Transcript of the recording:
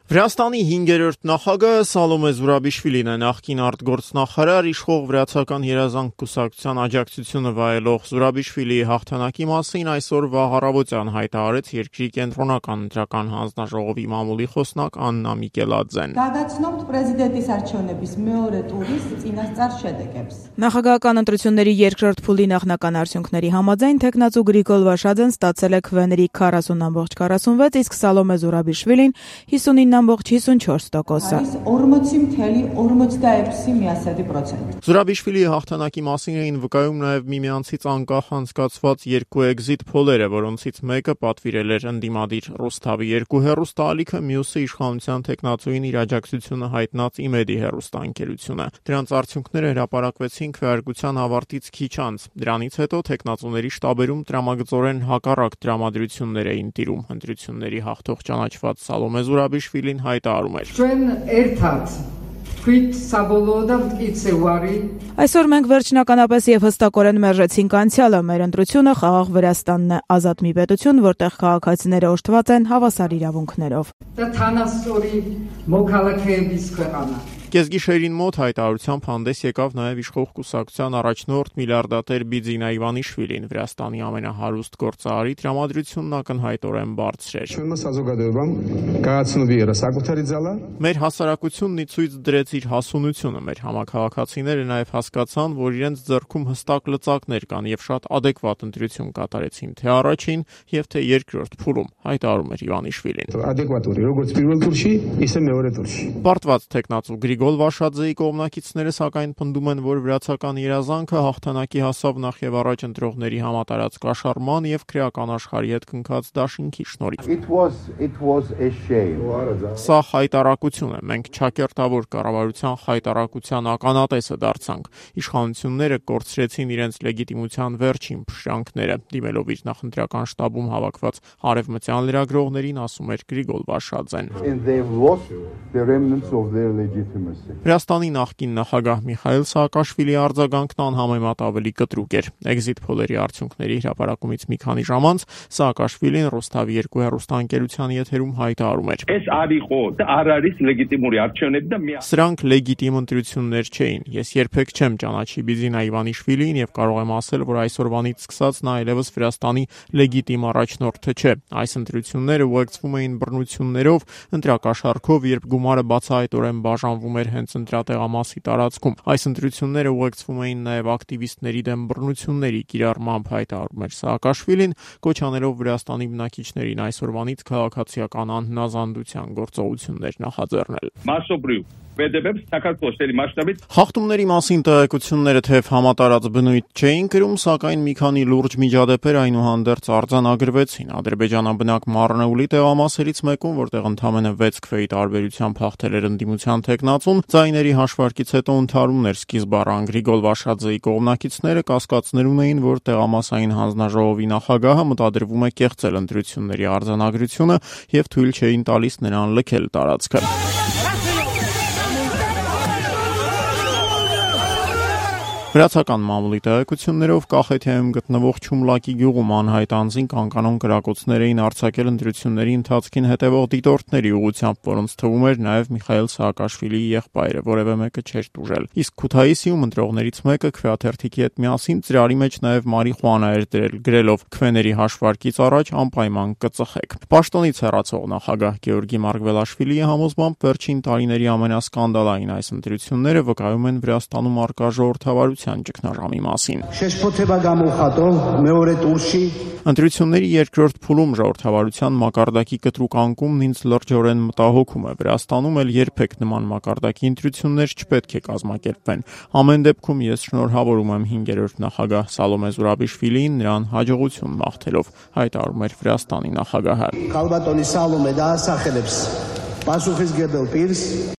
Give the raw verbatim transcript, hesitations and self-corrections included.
Վրաստանի հինգերորդ նախագահը Սալոմե Զուրաբիշվիլին է, նախկին արտգործնախարար, իշխող Վրացական երազանք կուսակցության աջակցությունը վայելող Զուրաբիշվիլիի հաղթանակի մասին այսօր վաղ առավոտյան հայտարարեց երկրի կենտրոնական ընտրական հանձնաժողովի մամուլի խոսնակ Աննա Միկելաձեն։ Նախագահական ընտրությունների երկրորդ փուլի նախնական արդյունքների համաձայն թեկնածու Գրիգոլ Վաշաձեն ստացել է քվեների քառասուն բացառիկ քառասունվեց, իսկ Սալոմե Զուրաբիշվիլին հիսունինը բացառիկ հիսունչորս տոկոսը։ Զուրաբիշվիլիի հաղթանակի մասին էին վկայում նաև միմյանցից անկախ անցկացված երկու էքզիտ փոլերը, որոնցից մեկը պատվիրել էր ընդդիմադիր Ռուսթավի երկու հեռուստաալիքը, մյուսը իշխանության թեկնածուին իր աջակցությունը հայտնած Իմեդի հեռուստաընկերությունը։ Դրանց արդյունքները հրապարակվեցին քվեարկության ավարտից քիչ անց։ Դրանից հետո թեկնածուների շտաբերում տրամագծորեն հակառակ տրամադրություններ էին տիրում։ Ընտրությունների հաղթող ճանաչված Սալոմե Զուրաբիշվիլին հայտարարում էր. Այսօր մենք վերջնականապես եւ հստակորեն մերժեցինք անցյալը, մեր ընտրությունը խաղաղ Վրաստանն է, ազատ մի պետություն, որտեղ քաղաքացիները օժտված են հավասար իրավունքներով։ Կեսգիշերին մոտ հայտարարությամբ հանդես եկավ նաև իշխող կուսակցության առաջնորդ միլիարդատեր Բիձինա Իվանիշվիլին, Վրաստանի ամենահարուստ գործարարի տրամադրությունն ակնհայտորեն բարձր էր։ Մեր հասարակությունն ի ցույց դրեց իր հասունությունը, մեր համաքաղաքացիները նաև հասկացան, որ իրենց ձեռքում հստակ լծակներ կան եւ շատ ադեկվատ ընտրություն կատարեցին թե առաջին եւ թե երկրորդ փուլում, հայտարարում էր Իվանիշվիլին։ Պարտված թեկնածու Գրիգոլ Վաշաձեի կողմնակիցները սակայն պնդում են, որ վրացական երազանքը հաղթանակի հասավ նախ եւ առաջ ընտրողների համատարած կաշառման եւ քրեական աշխարհի հետ կնքած դաշինքի շնորհիվ։ Սա խայտարակություն է, մենք չակերտավոր կառավարության խայտարակության ականատեսը դարձանք։ Իշխանությունները կորցրեցին իրենց լեգիտիմության վերջին փշրանքները, դիմելով իր նախընտրական շտաբում հավաքված արևմտյան լրագրողներին, ասում էր Գրիգոլ Վաշաձեն։ Վրաստանի նախկին նախագահ Միխայիլ Սաակաշվիլիի արձագանքն անհամեմատ ավելի կտրուկ էր։ Էքզիտ փոլերի արդյունքների հրապարակումից մի քանի ժամ անց Սաակաշվիլին Ռուսթավի երկու հեռուստաընկերության եթերում հայտարարում էր. Սրանք լեգիտիմ ընտրություններ չէին։ Ես երբեք չեմ ճանաչի Բիձինա Իվանիշվիլիին եւ կարող եմ ասել, որ այսօրվանից սկսած նա այլևս Վրաստանի լեգիտիմ առաջնորդը չէ։ Այս ընտրությունները ուղեկցվում էին բռնություններով, ընտրակաշառքով, երբ գումարը բացահայտորեն բաժանվում էր հենց ընտրատեղամասի տարածքում։ Այս ընտրությունները ուղեկցվում էին նաև ակտիվիստների դեմ բռնությունների կիրառմամբ, հայտարարում էր Սաակաշվիլին, կոչ անելով Վրաստանի բնակիչներին այսօրվանից քաղաքացիական անհնազանդության գործողություններ նախաձեռնել։ Խախտումների մասին տեղեկությունները թեև համատարած բնույթ չէին կրում, սակայն մի քանի լուրջ միջադեպեր այնուհանդերձ արձանագրվեցին։ Ադրբեջանաբնակ Մարնեուլի տեղամասերից մեկում, որտեղ ընդամենը վեց քվեի տարբերությամբ հաղթել էր ընդդիմության թեկնածուն, ձայների հաշվարկից հետո ընդհարումներ սկիզբ առան Գրիգոլ Վաշաձեի կողմնակիցները կասկածներ ունեին, որ տեղամասային հանձնաժողովի նախագահը մտադրվում է կեղծել ընտրությունների արձանագրությունը եւ թույլ չէին տալիս նրան լքել տարածքը։ Վրացական մամուլի տեղեկություններով Կախեթիայում գտնվող Չումլակի գյուղում անհայտ անձին կանկանոն կրակոցներ էին արձակել ընտրությունների ընթացքին հետևող դիտորդների ուղղությամբ, որոնց թվում էր նաև Միխայիլ Սաակաշվիլիի եղբայրը, որևէ մեկը չէր տուժել։ Իսկ Քութայիսիում ընտրողներից մեկը քվեաթերթիկի հետ միասին ծրարի մեջ նաև մարիխուանա էր դրել, գրելով քվեների հաշվարկից առաջ անպայման կծխեք։ Պաշտոնից հեռացող նախագահ Գեորգի Մարգվելաշվիլիի համոզմամբ վերջին տարիների ամենասկանդալային այս ընտրությունները վկայում են Վրաստանում առկա ժողովրդավարության ճգնաժամի մասին։ Ընտրությունների երկրորդ փուլում ժողովրդավարության մակարդակի կտրուկ անկումն ինձ լրջորեն մտահոգում է։ Վրաստանում էլ երբեք նման մակարդակի ընտրություններ չպետք է կազմակերպվեն։ Ամեն դեպքում ես շնորհավորում եմ հինգերորդ նախագահ Սալոմե Զուրաբիշվիլիին նրան հաջողություն մաղթելով, հայտարարում էր Վրաստանի նախագահը։